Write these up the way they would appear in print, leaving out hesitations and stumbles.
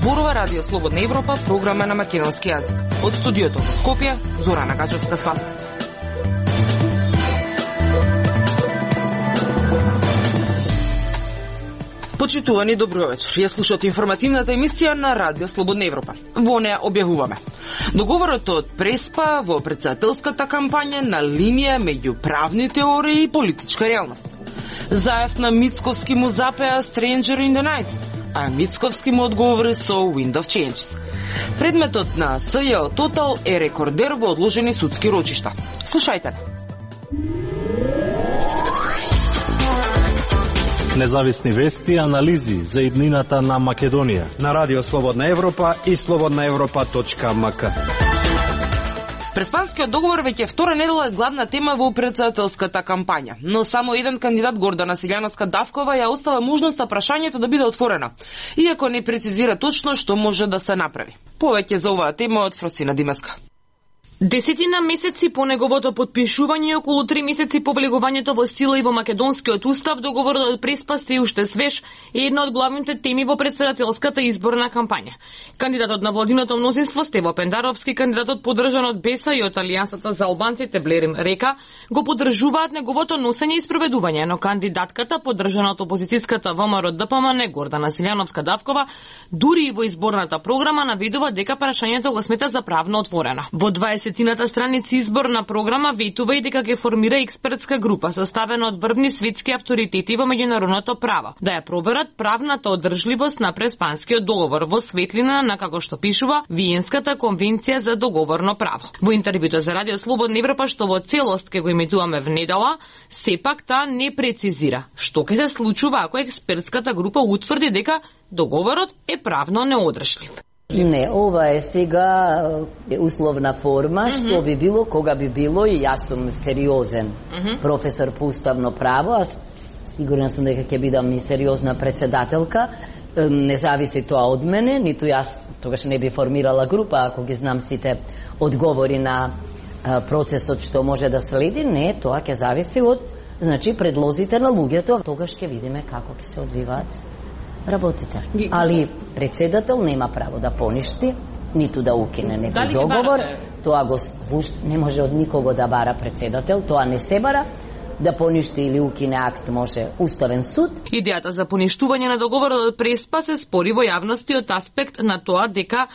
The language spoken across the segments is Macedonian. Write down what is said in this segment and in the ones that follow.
зборува Радио Слободна Европа, програма на македонски јазик. Од студиото во Скопје, Зорана Гачевска-Спасовска. Почитувани, добро вечер. Ја слушате информативната емисија на Радио Слободна Европа. Во неја објавуваме договорот од Преспа во претседателската кампања на линија меѓу правни теории и политичка реалност. Заев на Мицковски му запеа Stranger in the Night, а Мицковски му одговори со Wind of Change. Предметот на СЈО Total е рекордер во одложени судски рочишта. Слушајте. Независни вести и анализи за иднината на Македонија на Радио Слободна Европа и slobodnaevropa.mk. Преспанскиот договор веќе втора недела е главна тема во претседателската кампања, но само еден кандидат, Гордана Силјановска-Давкова, ја остава можноста прашањето да биде отворено, иако не прецизира точно што може да се направи. Повеќе за оваа тема од Фросина Димеска. Десетина месеци по неговото подпишување и околу 3 месеци по влегувањето во сила и во македонскиот устав, договорот од Преспа се уште свеж е една од главните теми во претседателската изборна кампања. Кандидатот на владиното мнозинство Стево Пендаровски, кандидатот поддржан од БЕСА и од Алијансата за албанците Блерим Река, го поддржуваат неговото носење и спроведување, но кандидатката поддржана од опозицијската ВМРО ДПМН Гордана Силјановска-Давкова дури и во изборната програма наведува дека прашањето го смета за правно отворено. Во 20-тината страници изборна програма ветува и дека ќе формира експертска група составена од врвни светски авторитети во меѓународното право, да ја проверат правната одржливост на Преспанскиот договор во светлина на, како што пишува, Виенската конвенција за договорно право. Во интервјуто за Радио Слободна Европа, што во целост ќе го емитуваме внедела, сепак таа не прецизира што ќе се случува ако експертската група утврди дека договорот е правно неодржлив. Не, ова е сега условна форма, што би било, кога би било, и јас сум сериозен професор по уставно право, а сигурна сум дека ќе бидам и сериозна председателка, не зависи тоа од мене, ниту јас тогаш не би формирала група, ако ги знам сите одговори на процесот што може да следи, не, тоа ќе зависи од, значи, предлозите на луѓето, тогаш ќе видиме како ќе се одвиваат работите. Али председател нема право да поништи, ниту да укине некој договор. Тоа го не може од никого да бара председател, тоа не се бара. Да поништи или укине акт може Уставен суд. Идејата за поништување на договорот од Преспа се спори во јавността од аспект на тоа дека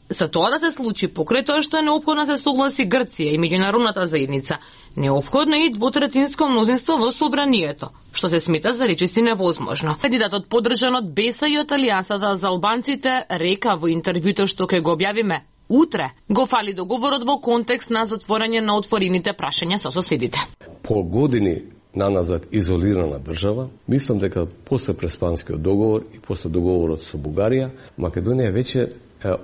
за тоа да се случи покрај тоа што е неопходно да се согласи Грција и меѓународната заедница, неопходно е и двотретинско мнозинство во собранието, што се смета за речиси невозможно. Кандидатот поддржан од БЕСА и од Алијансата за албанците река во интервјуто што ќе го објавиме утре, го фали договорот во контекст на затворање на отворените прашања со соседите. По години наназад изолирана држава, мислам дека после Преспанскиот договор и после договорот со Бугарија, Македонија веќе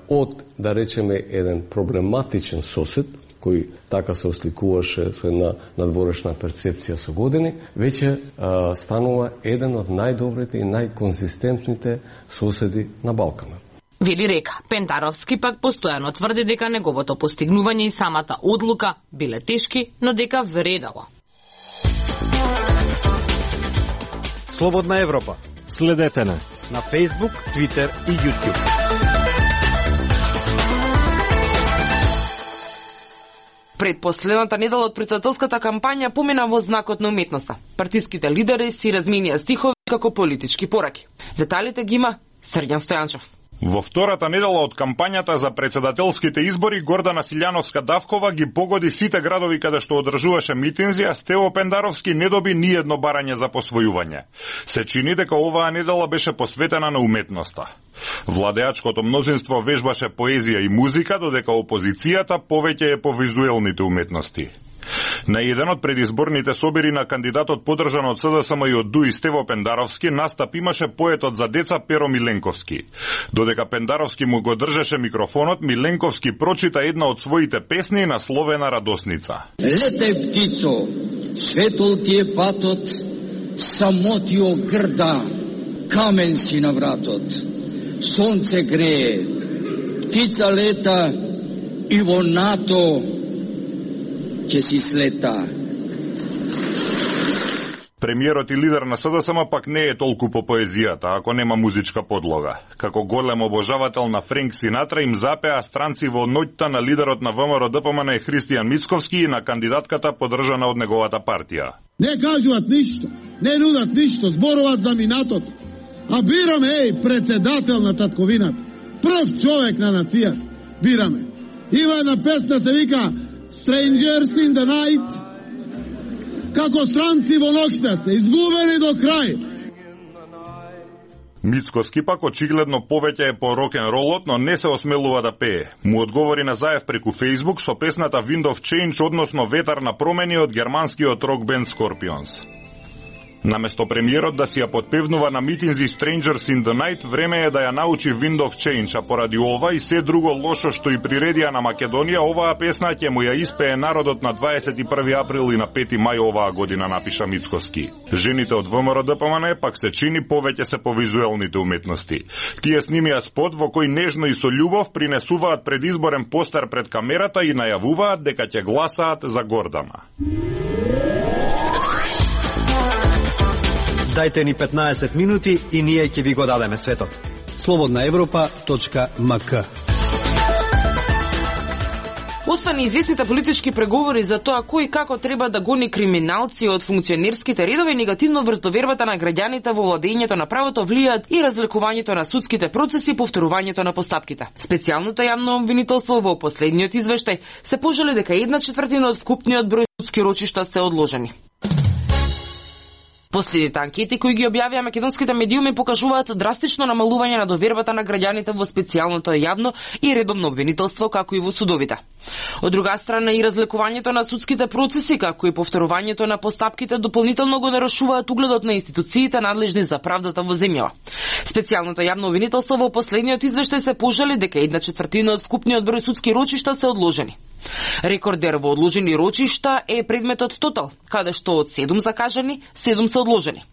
од, да речеме, еден проблематичен сосед, кој така се осликуваше со една надворешна перцепција со години, веќе станува еден од најдобрите и најконзистентните соседи на Балканот. Вели Река. Пендаровски пак постојано тврди дека неговото постигнување и самата одлука биле тешки, но дека вредало. Слободна Европа. Следете на Facebook, Twitter и YouTube. Предпоследната недела од претседателската кампања помина во знакот на уметноста. Партиските лидери си разменија стихови како политички пораки. Деталите ги има Срѓан Стојанчев. Во втората недела од кампањата за претседателските избори, Гордана Силјановска-Давкова ги погоди сите градови каде што одржуваше митинзи, а Стево Пендаровски не доби ни едно барање за посвојување. Се чини дека оваа недела беше посветена на уметноста. Владеачкото мнозинство вежбаше поезија и музика, додека опозицијата повеќе е по визуелните уметности. На еден од предизборните собери на кандидатот поддржан од СДСМ и од ДУИ Стево Пендаровски настап имаше поетот за деца Перо Миленковски. Додека Пендаровски му го држеше микрофонот, Миленковски прочита една од своите песни насловена Радосница. Летај птицо, светол ти е патот, самотио грда, камен си на вратот. Сонце грее, птица лета и во нато ќе си слета. Премиерот и лидер на СДСМ пак не е толку по поезијата, ако нема музичка подлога. Како голем обожавател на Френк Синатра им запеа странци во ноќта на лидерот на ВМРО-ДПМН Христијан Мицковски и на кандидатката поддржана од неговата партија. Не кажуваат ништо, не нудат ништо, зборуваат за минатото. А бираме, председател на татковината, прв човек на нацијата, бираме. Има една песна се вика Strangers in the Night, како странци во ноќта се, изгубени до крај. Мицковски пак очигледно повеќе е по рок-н-ролот, но не се осмелува да пее. Му одговори на Заев преку Facebook со песната Wind of Change, односно ветар на промени од германскиот рок бенд Scorpions. Наместо премиерот да си ја подпевнува на митинзи Strangers in the Night, време е да ја научи Wind of Change, а поради ова и се друго лошо што и приредија на Македонија, оваа песна ќе му ја испее народот на 21 април и на 5 мај оваа година, напиша Мицковски. Жените од ВМРО-ДПМН пак се чини повеќе се по визуелните уметности. Тие снимија спот во кој нежно и со љубов принесуваат предизборен постер пред камерата и најавуваат дека ќе гласаат за Гордана. Дајте ни 15 минути и ние ќе ви го дадеме светот. slobodnaevropa.mk. Освен известните политички преговори за тоа кој и како треба да гони криминалци од функционерските редови, негативно врз довербата на граѓаните во владењето на правото влијаат и разликувањето на судските процеси и повторувањето на постапките. Специјалното јавно обвинителство во последниот извештај се пожали дека 1/4 од вкупниот број судски рочишта се одложени. Последните анкети кои ги објавија македонските медиуми покажуваат драстично намалување на довербата на граѓаните во специјалното јавно и редовно обвинителство, како и во судовите. Од друга страна и разликувањето на судските процеси, како и повторувањето на постапките дополнително го нарушуваат угледот на институциите надлежни за правдата во земјава. Специјалното јавно обвинителство во последниот извештај се пожали дека 1/4 од вкупниот број судски рочишта се одложени. Рекордер во одложени рочишта е предметот Тотал, каде што од 7 закажани, 7 се одложени.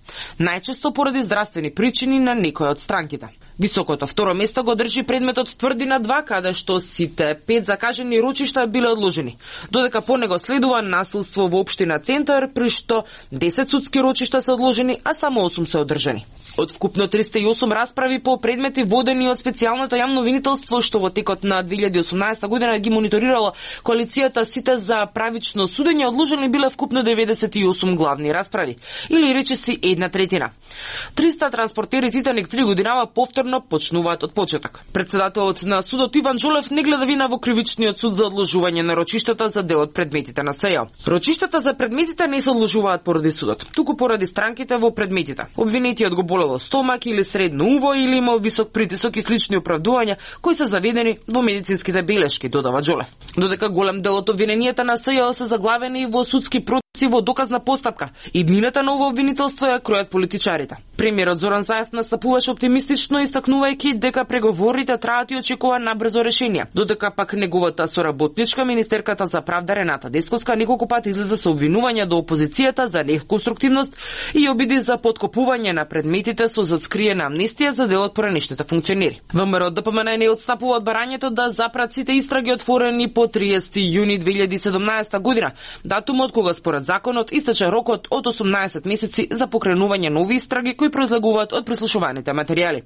Најчесто поради здравствени причини на некој од странките. Високото второ место го држи предметот Тврдина 2, каде што сите 5 закажани рочишта биле одложени. Додека по него следува насилство во општина Центар, при што 10 судски рочишта се одложени, а само 8 се одржани. Од вкупно 308 расправи по предмети водени од специјалното јавно обвинителство, што во текот на 2018 година ги мониторирала коалицијата Сите за правично судење, одложени биле вкупно 98 главни расправи, или речиси 1/3. 300 транспортери Титаник 3 годинава повторно почнуваат од почеток. Председателот на судот Иван Джолев не гледа вина во кривичниот суд за одложување на рочиштата за дел од предметите на СЈО. Рочиштата за предметите не се одложуваат поради судот, туку поради странките во предметите. Обвинетиот го болело стомак или средно уво или имал висок притисок и слични оправдувања кои се заведени во медицинските белешки, додава Джолев. Додека голем дел од обвиненијата на СЈО се заглавени во судски процеси во доказна постапка, и днината на ово обвинителство ја кројат политичарите. Премиерот Зоран Заев настапуваше оптимистично, истакнувајќи дека преговорите траат и очекува набрзо решение. Додека пак неговата соработничка, министерката за правда Рената Десковска, неколку пати излезе со обвинувања до опозицијата за неконструктивност и обиди за поткопување на предметите со зацкриена амнестија за дел од поранешните функционери. ВМРО-ДПМН не отстапува од барањето да запрат сите истраги отворени по 30 јуни 2017 година, датумот кога според законот истече рокот од 18 месеци за покренување нови истраги кои произлегуваат од прислушуваните материјали.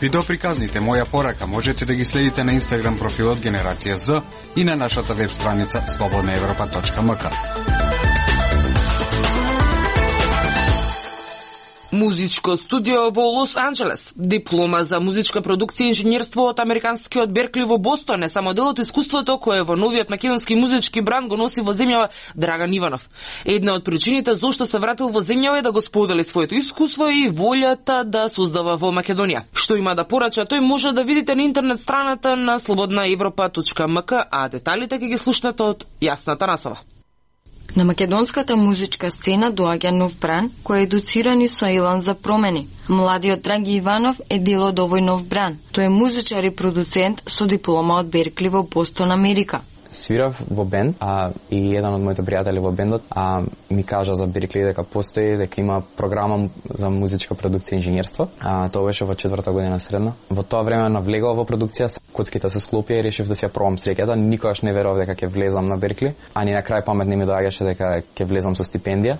Видеоприказните Моја порака можете да ги следите на Инстаграм профилот Генерација З и на нашата веб страница slobodnaevropa.mk. Музичко студио во Лос Анџелес, диплома за музичка продукција и инженерство од американскиот Беркли во Бостон е само дел од искуството кое во новиот македонски музички бранд го носи во земјава Драган Иванов. Една од причините зошто се вратил во земјава е да го сподели своето искуство и волјата да создава во Македонија. Што има да порача, тој може да видите на интернет страната на slobodnaevropa.mk, а деталите ќе ги слушнете од Јасна Танасова. На македонската музичка сцена доаѓа нов бран кој е едуциран и соилан за промени. Младиот Драги Иванов е дел од овој нов бран. Тој е музичар и продуцент со диплома од Беркли во Бостон, Америка. свирав во бенд, и еден од моите пријатели во бендот ми кажа за Беркли дека постои, дека има програма за музичка продукција и инженерство. Тоа беше во 4-та година средна. Во тоа време навлегов во продукција, коцките се склопија и решив да си ја пробам среќата. Никогаш не верував дека ќе влезам на Беркли, а ни на крај памет не ми доаѓаше дека ќе влезам со стипендија.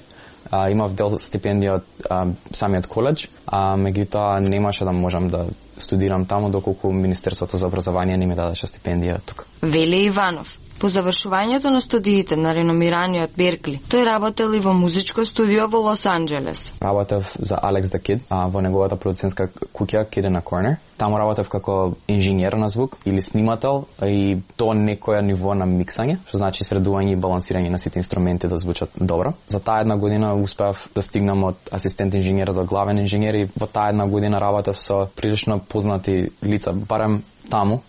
Имав дел стипендија од самиот коледж, меѓутоа немаше да можам да студирам таму доколку Министерството за образование не ми дадеше стипендија тука. Веле Иванов. По завршувањето на студиите на реномираниот Беркли, тој работел и во музичко студио во Лос Анџелес. Работев за Alex the Kid во неговата продуцентска куќа Kid in a Corner. Таму работев како инженер на звук или снимател и до некоја ниво на миксање, што значи средување и балансирање на сите инструменти да звучат добро. За таа една година успеав да стигнам од асистент инженер до главен инженер и во таа една година работев со прилично познати лица, барем таму.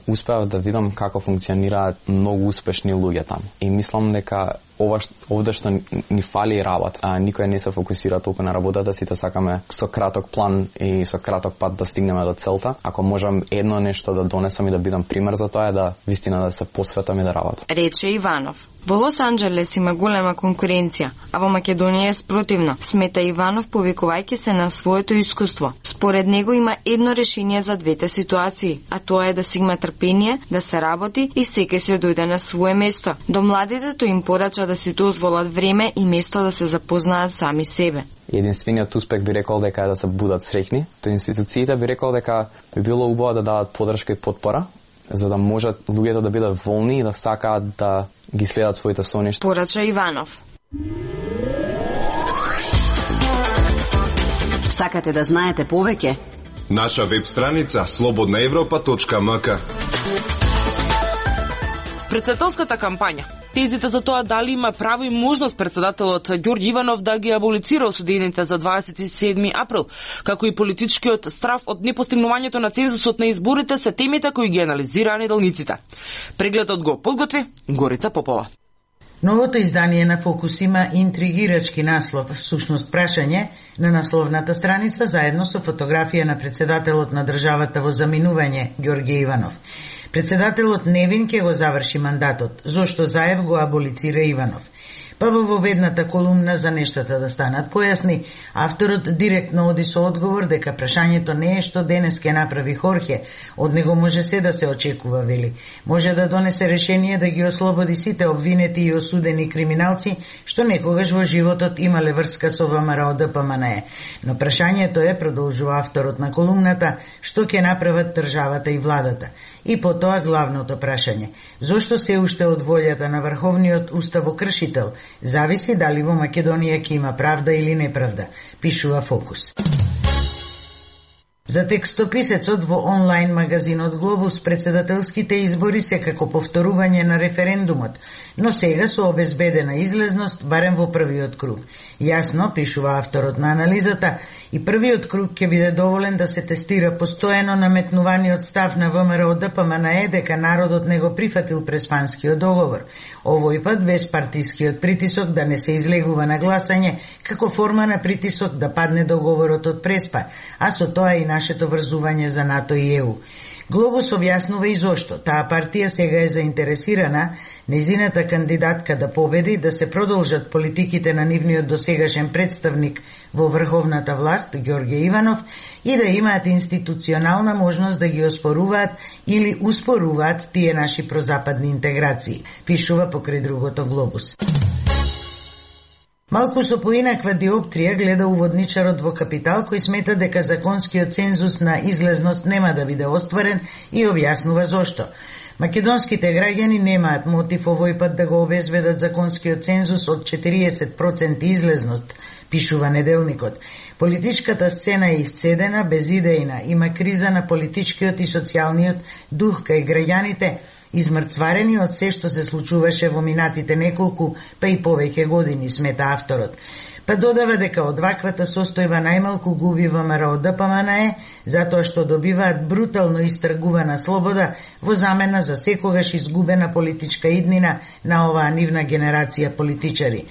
Успеав да видам како функционираат многу успешни луѓе таму. И мислам дека овде што ни фали работа. Никој не се фокусира толку на работата, сите сакаме со краток план и со краток пат да стигнеме до целта. Ако можам едно нешто да донесам и да бидам пример за тоа е да вистина да се посветам и да работам. Рече Иванов. Во Лос Анџелес има голема конкуренција, а во Македонија е спротивно, смета Иванов повикувајќи се на своето искуство. Според него има едно решение за двете ситуации, а тоа е да си има трпение, да се работи и секој се дојде на свое место. До младите тој им порача да си дозволат време и место да се запознаат сами себе. Единствениот успех би рекол дека е да се будат среќни. Тоа институциите би рекол дека би било убаво да дадат подршка и потпора, за да можат луѓето да бидат волни и да сакаат да ги следат своите соништа. Порача Иванов. Сакате да знаете повеќе? Наша веб страница slobodnaevropa.mk. Председателската кампања. Тезите за тоа дали има право и можност председателот Ѓорѓе Иванов да ги аболицира осудените за 27 април, како и политичкиот страв од непостигнувањето на цензусот на изборите се темите кои ги анализираа неделниците. Прегледот го подготви Горица Попова. Новото издание на Фокус има интригирачки наслов, всушност прашање на насловната страница заедно со фотографија на председателот на државата во заминување Ѓорѓе Иванов. Председателот невин ќе го заврши мандатот, зошто Заев го аболицира Иванов. Па во воведната колумна за нештата да станат појасни, авторот директно оди со одговор дека прашањето не е што денес ќе направи Хорхе, од него може се да се очекува, вели. Може да донесе решение да ги ослободи сите обвинети и осудени криминалци што некогаш во животот имале врска со ВМРО ДПМНЕ. Но прашањето е, продолжува авторот на колумната, што ќе направат државата и владата. И потоа главното прашање: зошто се уште од волјата на врховниот уставокршител зависи дали во Македонија ќе има правда или неправда, пишува Фокус. За текстописецот во онлайн магазинот Глобус председателските избори се како повторување на референдумот, но сега со обезбедена излезност барем во првиот круг. Јасно, пишува авторот на анализата, и првиот круг ќе биде доволен да се тестира постојано наметнуваниот став на ВМРО ДПМНЕ дека народот не го прифатил Преспанскиот договор. Овој пат без партискиот притисок да не се излегува на гласање како форма на притисок да падне договорот од Преспа, а со тоа и нашето врзување за НАТО и ЕУ. Глобус објаснува и зошто таа партија сега е заинтересирана нејзината кандидатка да победи, да се продолжат политиките на нивниот досегашен представник во врховната власт, Ѓорѓе Иванов, и да имаат институционална можност да ги оспоруваат или успоруваат тие наши прозападни интеграции, пишува покрај другото Глобус. Малку со поинаква диоптрија гледа уводничарот во Капитал, кој смета дека законскиот цензус на излезност нема да биде остварен и објаснува зошто. Македонските граѓани немаат мотив овој пат да го обезбедат законскиот цензус од 40% излезност, пишува Неделникот. Политичката сцена е исцедена, безидејна, има криза на политичкиот и социјалниот дух кај граѓаните, измрцварени од се што се случуваше во минатите неколку, па и повеќе години, смета авторот. Па додава дека од ваквата состојба најмалку губи ВМРО ДПМНЕ, затоа што добиваат брутално истргувана слобода во замена за секогаш изгубена политичка иднина на оваа нивна генерација политичари.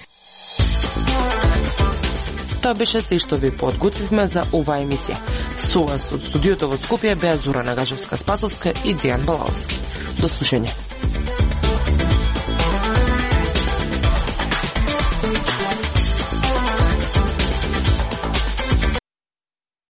Тоа беше се што ви подготвивме за оваа емисија. Со вас од студиото во Скопје беа Зора Нагажевска-Спасовска и Дејан Балаовски. До слушање.